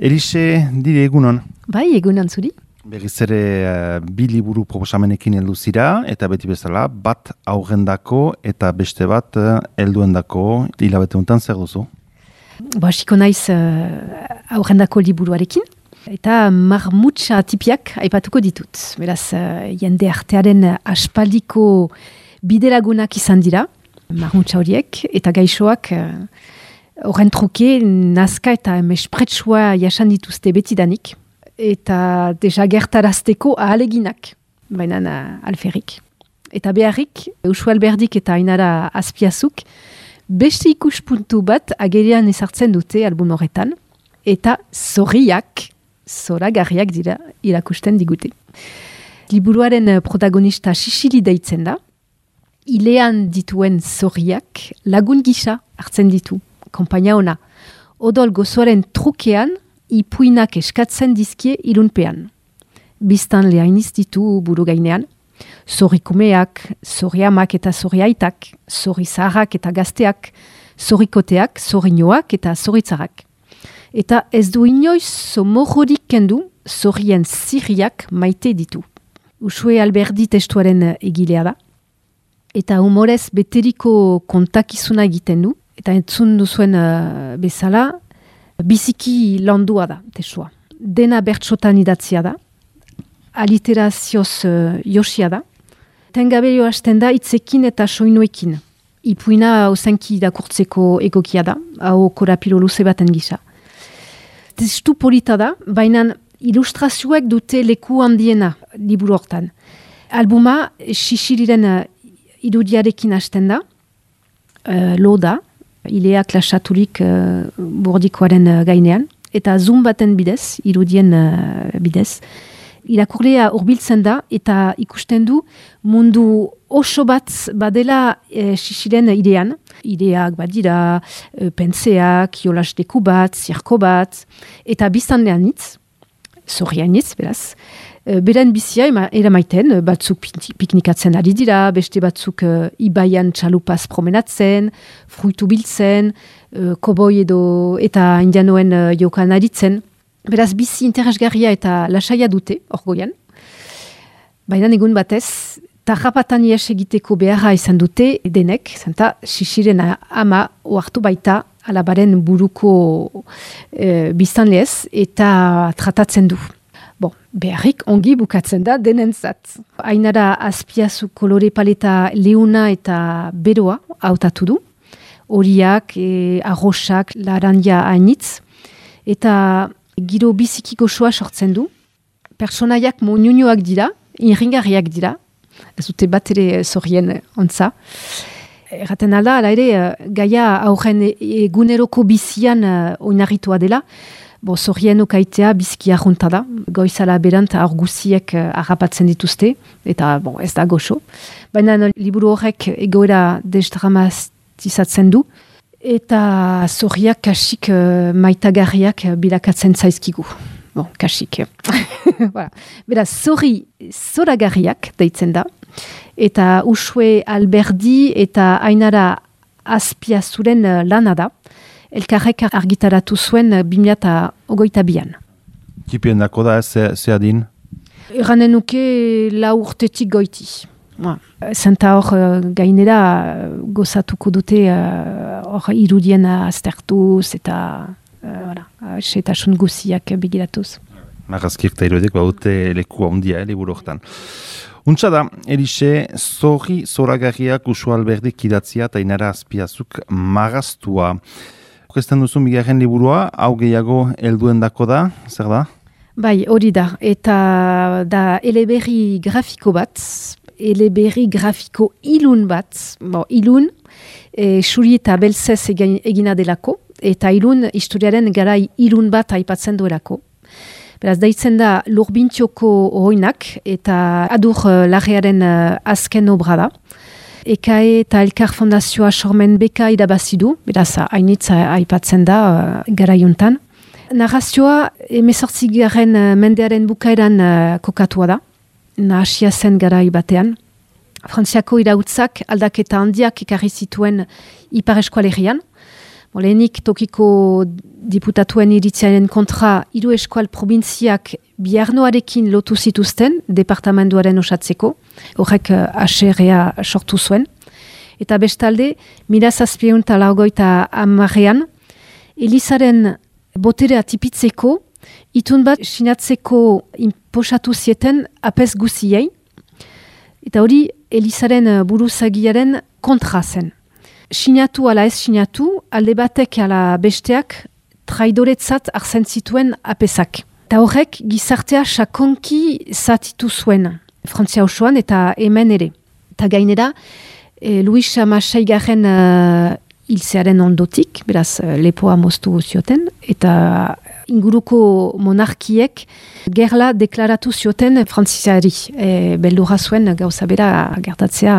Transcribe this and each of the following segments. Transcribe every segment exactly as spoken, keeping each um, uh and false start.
Elise, dire egunon. Bai, egunon zuri. Berriz ere uh, bi liburu proposamenekin heldu zira, eta beti bezala, bat aurrendako eta beste bat uh, helduendako hilabete honetan zer duzu? Ba, hasiko naiz uh, aurrendako liburuarekin, eta marmutsa tipiak aipatuko ditut. Beraz, uh, jende artearen aspaldiko bidelagunak izan dira, marmutsa horiek, eta gaixoak uh, horren truke nazka eta mespretsua jasan dituzte betidanik, eta deja gertarazteko ahaleginak, baina alferrik. Eta beharrik, Usu Alberdik eta Ainara Azpiazuk, beste ikuspuntu bat agerian ezartzen dute album horretan, eta zorriak, zoragarriak dira irakusten digute. Liburuaren protagonista Xixili deitzen da, ilean dituen zorriak lagun gisa hartzen ditu, konpaina ona. Odol gozoaren trukean, ipuinak eskatzen dizkie ilunpean. Biztan lehainiz ditu buru gainean, zorrikumeak, zorriamak eta zorriaitak, zorrizaharrak eta gazteak, zorrikoteak, zorrinoak eta zorritzarak. Eta ez du inoiz somorrorik kendu, zorrien zirriak maite ditu. Usue Alberdi testuaren egilea da, eta humorez beteriko kontakizuna egiten du, eta entzun duzuen uh, bezala, biziki landua da, testua. Dena bertsotan idatzia da, aliterazioz uh, josia da, tengabelio hasten da itzekin eta soinuekin. Ipuina ozenki irakurtzeko egokia da, hau korapilo luze baten gisa. Testu polita da, baina ilustrazioek dute leku handiena liburu hortan. Albuma Xixiliren uh, irudiarekin hasten da, uh, lo da, ileak lasaturik uh, bordikoaren uh, gainean, eta zoom baten bidez, irudien uh, bidez. Irakurlea hurbiltzen da, eta ikusten du mundu oso bat badela e, Xixilen idean. Ideak badira, e, pentseak, jolas deku bat, zirko bat, eta biztan lehanitz, zorrianitz, beraz. E, beren bizia eramaiten, batzuk piknikatzen ari dira, beste batzuk e, ibaian txalupaz promenatzen, fruitu biltzen, e, koboi edo eta indianoen e, jokan aritzen. Beraz, bizi interesgarria eta lasaia dute, orgoian. Baina egun batez, tarrapatan ies egiteko beharra izan dute denek, zenta Xixilen ama oartu baita alabaren buruko e, biztanlez eta tratatzen du. Bon, beharrik ongi bukatzen da denentzat. Ainara Azpiazu kolore paleta leuna eta beroa hautatu du. Horiak, e, arrosak, larandia hainitz. Eta giro biziki gozoa sortzen du. Personaiak moñuñoak dira, inringarriak dira. Ez dute bat ere zorrien ontza. Erraten alda, ala ere, gaia aurren eguneroko bizian uh, oinarritua dela. Bo, zorrien okaitea biziki arrunta da. Goizala berant aur guziek uh, harrapatzen dituzte. Eta bon, ez da goxo. Baina liburu horrek egoera desdramatizatzen du. Eta zorriak kasik uh, maitagarriak bilakatzen zaizkigu. Bon, kasik. Voilà. Beraz, zorri zoragarriak deitzen da. Eta Usue Alberdi eta Ainara Azpiazuren uh, lana da. Elkarrek argitaratu zuen uh, bi mila hogeita bian. Tipien dako da, ze, ze adin? Eranen nuke lau urtetik goiti. Zenta hor uh, gainera uh, gozatuko dute hor uh, irudien aztertuz eta uh, setasun guziak bigiratuz. Marrazkiek eta irudiek baute leku handia, eh, liburu hortan. Untsa da, Elise, zorri zoragarriak Usu Alberdik idatzia eta Ainara Azpiazuk marraztua. Okezten duzu bigarren liburua, hau gehiago helduendako da, zer da? Bai, hori da, eta da eleberri grafiko bat, eleberri grafiko ilun bat, bon, ilun, e, xuri eta belzez egina delako, eta ilun historiaren garai ilun bat aipatzen duelako. Beraz, daitzen da Lurbintxoko ohoinak, eta adur uh, larrearen uh, azken obra da. Ekae eta Elkar Fondazioa sormen beka irabazidu, beraz, hainitza aipatzen da uh, garaiuntan. Narrazioa emezortzigaren uh, mendearen bukaeran uh, kokatua da. Nahasia zen garai batean. Frantziako irautzak aldaketa handiak ekarri zituen Ipar Eskualerian. Lehenik tokiko diputatuen iritziaren kontra hiru eskual probintziak biarnoarekin lotu zituzten departamenduaren osatzeko, horrek aserrea sortu zuen. Eta bestalde, mila zazpiehun eta laurogeita hamarean, Elizaren boterea tipitzeko, itun bat sinatzeko inposatu zieten apez guziei, eta hori Elizaren buruzagiaren kontra zen. Sinatu ala ez sinatu, alde batek ala besteak traidoretzat arzen zituen apezak. Eta horrek gizartea sakonki zatitu zuen, Frantzia osoan eta hemen ere. Eta gainera, e, Luis Hamaseigarren uh, hiltzearen ondotik, beraz lepoa moztu zioten, eta inguruko monarkiek gerla deklaratu zioten Frantziari. E, beldurra zuen gauza bera gertatzea.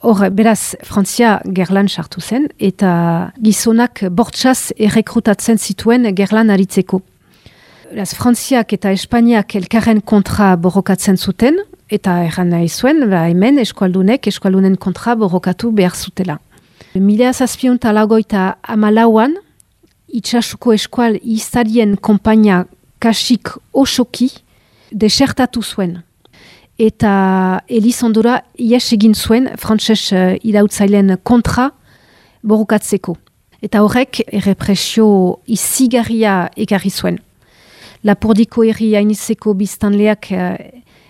Hor, beraz, Frantzia gerlan sartu zen, eta gizonak bortxaz errekrutatzen zituen gerlan aritzeko. Beraz, Frantziak eta Espainiak elkarren kontra borrokatzen zuten, eta erran nahi zuen, ba, hemen eskualdunek eskualdunen kontra borrokatu behar zutela. Mila zazpiehun eta laurogeita hamalauan, itxasuko eskual izarien konpainia kasik osoki desertatu zuen. Eta Elizondora ies egin zuen frantses uh, irautzaileen kontra borrokatzeko. Eta horrek errepresio izigarria ekarri zuen. Lapurdiko herri hainizeko biztanleak uh,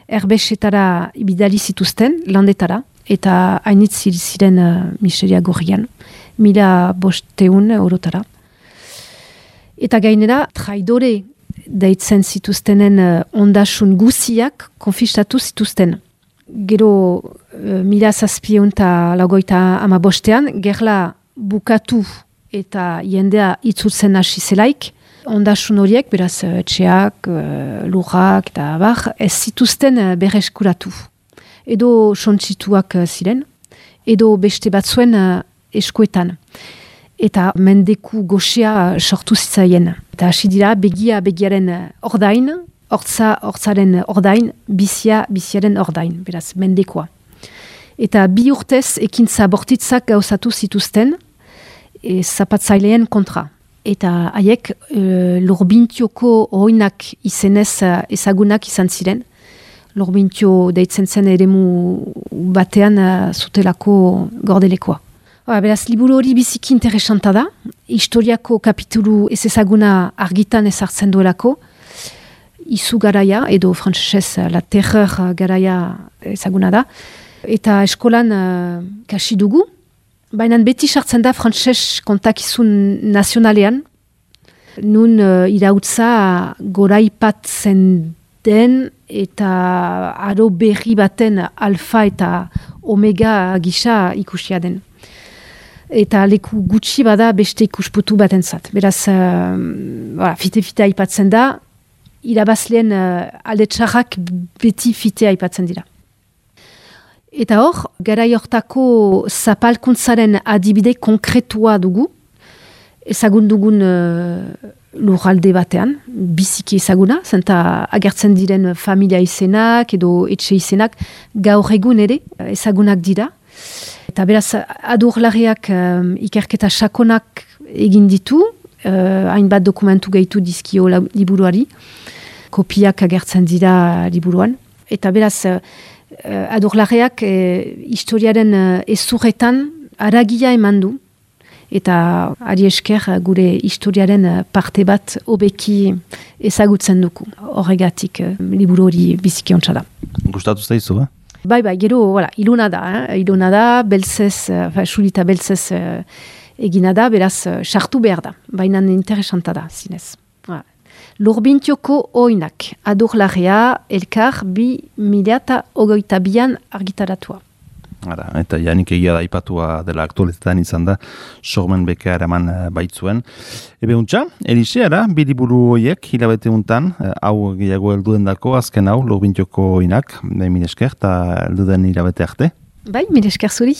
erbesetara bidali zituzten, landetara, eta hainitz ziren uh, miseria gorrian, mila bosteun eurotara. Eta gainera, traidore deitzen zituztenen uh, ondasun guziak konfistatu zituzten. Gero uh, mila zazpiehun eta laurogeita hamabostean, gerla bukatu eta jendea itzultzen hasi zelaik, ondasun horiek, beraz etxeak, uh, lurrak eta bar, ez zituzten uh, berreskuratu. Edo sontzituak uh, ziren, edo beste batzuen uh, eskuetan. Eta mendeku goxea sortu zitzaien. Eta hasi dira begia begiaren ordain, hortza hortzaren ordain, bizia biziaren ordain, beraz, mendekoa. Eta bi urtez ekintza bortitzak gauzatu zituzten e, zapatzaileen kontra. Eta haiek e, Lurbintioko oinak izenez ezagunak izan ziren. Lurbintio deitzen zen eremu batean zutelako gordelekoa. Ba, beraz, liburu hori biziki interesanta da. Historiako kapitulu ez ezaguna argitan ezartzen duelako. Izu garaia, edo frantzesez la terreur garaia ezaguna da. Eta eskolan uh, kasi dugu. Baina beti sartzen da frantses kontakizun nazionalean. Nun uh, irautza goraipatzen den eta aro berri baten alfa eta omega gisa ikusia den. Eta leku gutxi bada beste ikusputu batentzat. Beraz, uh, fite-fite aipatzen da, irabazleen uh, alde txarrak beti fite aipatzen dira. Eta hor, garai hortako zapalkuntzaren adibide konkretua dugu, ezagun dugun uh, lurralde batean, biziki ezaguna, zenta agertzen diren familia izenak edo etxe izenak gaur egun ere ezagunak dira. Eta beraz, adurlariak um, ikerketa sakonak egin ditu, uh, hainbat dokumentu gehitu dizkio liburuari, kopiak agertzen dira liburuan. Eta beraz, uh, adurlariak uh, historiaren uh, ezurretan aragia eman du, eta ari esker gure historiaren parte bat hobeki ezagutzen duku. Horregatik uh, liburu hori biziki ontsa da. Gustatu zaizu, eh? Bai, bai, gero, voilà, iluna da, eh? iluna da, beltzez, uh, sulita beltzez uh, egina da, beraz, sartu uh, behar da, baina interesanta da, zinez. Voilà. Lurbintioko oinak, adurlaria, elkar, bi mila eta ogoita bian argitaratua. Ara, eta janik egia da ipatua dela aktualitetan izan da, sormen beka eraman baitzuen. Ebe untxa, Elixe, ara, bidiburu horiek, hilabete untan, hau gehiago helduen dako, azken hau, Lurbintioko oinak, mil esker, eta helduden hilabete arte. Bai, mil esker zuri.